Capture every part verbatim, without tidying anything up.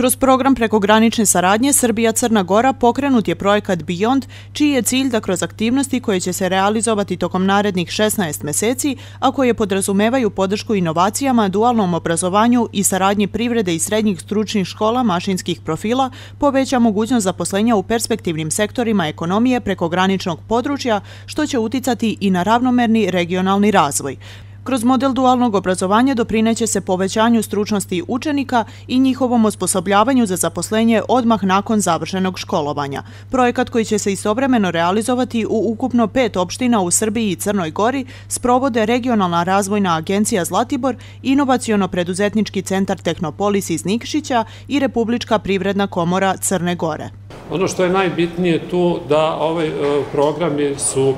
Kroz program prekogranične saradnje Srbija-Crna Gora pokrenut je projekat Beyond, čiji je cilj da kroz aktivnosti koje će se realizovati tokom narednih šesnaest meseci, a koje podrazumevaju podršku inovacijama, dualnom obrazovanju i saradnji privrede i srednjih stručnih škola mašinskih profila, poveća mogućnost zaposlenja u perspektivnim sektorima ekonomije prekograničnog područja, što će uticati i na ravnomerni regionalni razvoj. Kroz model dualnog obrazovanja doprineće se povećanju stručnosti učenika i njihovom osposobljavanju za zaposlenje odmah nakon završenog školovanja. Projekat koji će se istovremeno realizovati u ukupno pet opština u Srbiji i Crnoj Gori sprovode Regionalna razvojna agencija Zlatibor, Inovaciono-preduzetnički centar Tehnopolis iz Nikšića i Republička privredna komora Crne Gore. Ono što je najbitnije tu da ovaj programi su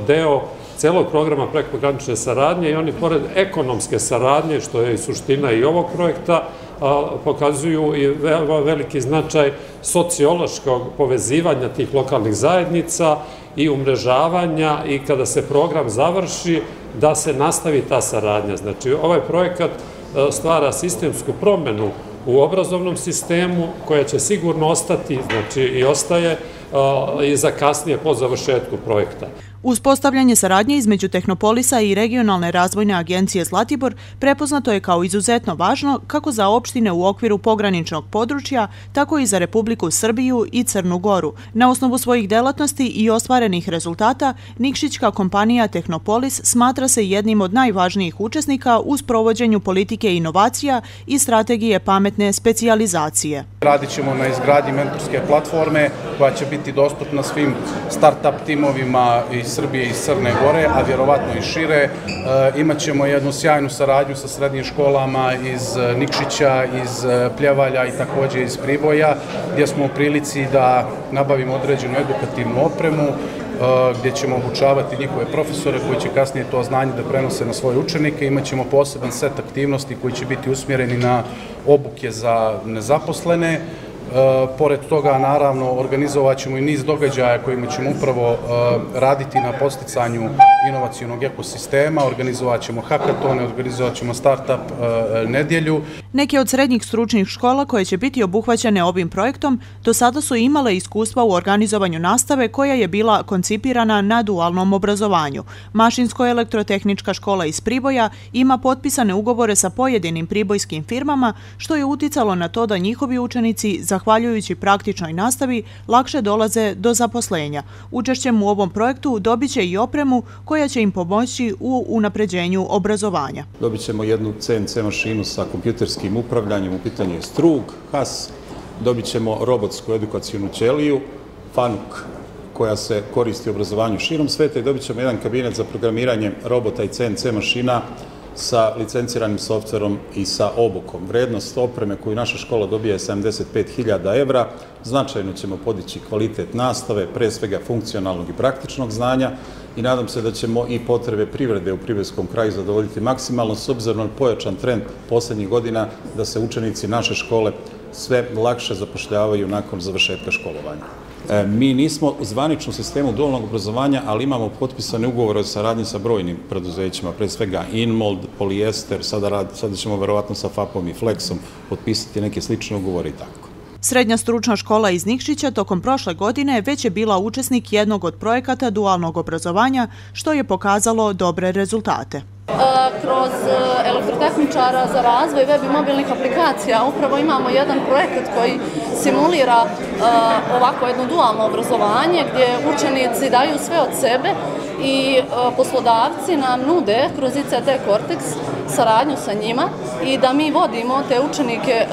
deo celog programa prekogranične saradnje i oni pored ekonomske saradnje, što je i suština i ovog projekta, pokazuju i veliki značaj sociološkog povezivanja tih lokalnih zajednica i umrežavanja i kada se program završi da se nastavi ta saradnja. Znači, ovaj projekat stvara sistemsku promenu u obrazovnom sistemu koja će sigurno ostati, znači i ostaje i za kasnije po završetku projekta. Uspostavljanje saradnje između Tehnopolisa i Regionalne razvojne agencije Zlatibor prepoznato je kao izuzetno važno kako za opštine u okviru pograničnog područja, tako i za Republiku Srbiju i Crnu Goru. Na osnovu svojih delatnosti i ostvarenih rezultata, nikšićka kompanija Tehnopolis smatra se jednim od najvažnijih učesnika u sprovođenju politike inovacija i strategije pametne specijalizacije. Radit ćemo na izgradnji mentorske platforme koja će biti dostupna svim start-up timovima iz Srbije i Crne Gore, a vjerovatno i šire. Imaćemo jednu sjajnu saradnju sa srednjim školama iz Nikšića, iz Pljevalja i također iz Priboja, gdje smo u prilici da nabavimo određenu edukativnu opremu, gdje ćemo obučavati njihove profesore koji će kasnije to znanje da prenose na svoje učenike. Imaćemo poseban set aktivnosti koji će biti usmjereni na obuke za nezaposlene. Pored toga, naravno, organizovat ćemo i niz događaja kojima ćemo upravo raditi na podsticanju inovacionog ekosistema, organizovat ćemo hakatone, organizovat ćemo start-up nedjelju. Neke od srednjih stručnih škola koje će biti obuhvaćene ovim projektom do sada su imale iskustva u organizovanju nastave koja je bila koncipirana na dualnom obrazovanju. Mašinsko-elektrotehnička škola iz Priboja ima potpisane ugovore sa pojedinim pribojskim firmama, što je uticalo na to da njihovi učenici, zahvaljujući praktičnoj nastavi, lakše dolaze do zaposlenja. Učešćem u ovom projektu dobit će i opremu koja će im pomoći u unapređenju obrazovanja. Dobit ćemo jednu C N C mašinu sa kompjuterskim upravljanjem, u pitanju je strug, has, dobit ćemo robotsku edukacijonu ćeliju, Fanuk, koja se koristi u obrazovanju širom sveta, i dobit ćemo jedan kabinet za programiranje robota i C N C mašina sa licenciranim softverom i sa obukom. Vrednost opreme koju naša škola dobija je sedamdeset pet hiljada evra. Značajno ćemo podići kvalitet nastave, pre svega funkcionalnog i praktičnog znanja, i nadam se da ćemo i potrebe privrede u pribojskom kraju zadovoljiti maksimalno, s obzirom na pojačan trend poslednjih godina da se učenici naše škole sve lakše zapošljavaju nakon završetka školovanja. Mi nismo u zvaničnom sistemu dualnog obrazovanja, ali imamo potpisane ugovore o saradnji sa brojnim preduzećima, pre svega Inmold, Polijester, sada ćemo verovatno sa Fapom i Flexom potpisati neke slične ugovore i tako. Srednja stručna škola iz Nikšića tokom prošle godine već je bila učesnik jednog od projekata dualnog obrazovanja, što je pokazalo dobre rezultate. Kroz elektrotehničara za razvoj web i mobilnih aplikacija upravo imamo jedan projekat koji simulira ovako jedno dualno obrazovanje gdje učenici daju sve od sebe i poslodavci nam nude kroz I C T Cortex saradnju sa njima i da mi vodimo te učenike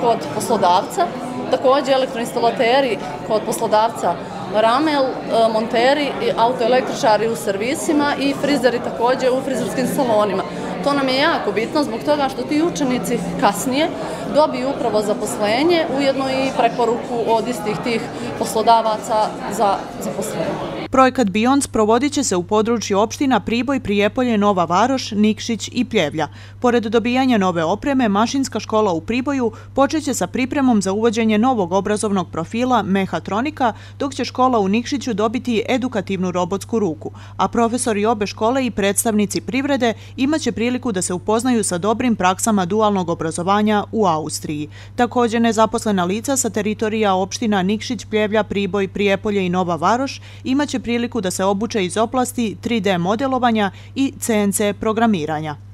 kod poslodavca, također elektroinstalateri kod poslodavca Ramel, monteri, autoelektričari u servisima i frizeri također u frizerskim salonima. To nam je jako bitno zbog toga što ti učenici kasnije dobiju upravo zaposlenje, ujedno i preporuku od istih tih poslodavaca za zaposlenje. Projekat Beyond provodit će se u području opština Priboj, Prijepolje, Nova Varoš, Nikšić i Pljevlja. Pored dobijanja nove opreme, mašinska škola u Priboju počeće sa pripremom za uvođenje novog obrazovnog profila mehatronika, dok će škola u Nikšiću dobiti edukativnu robotsku ruku, a profesori obe škole i predstavnici privrede imaće priliku da se upoznaju sa dobrim praksama dualnog obrazovanja u Austriji. Također, nezaposlena lica sa teritorija opština Nikšić, Pljevlja, Priboj, Prijepolje i Nova Varoš imaće priliku da se obuče iz oblasti tri D modelovanja i C N C programiranja.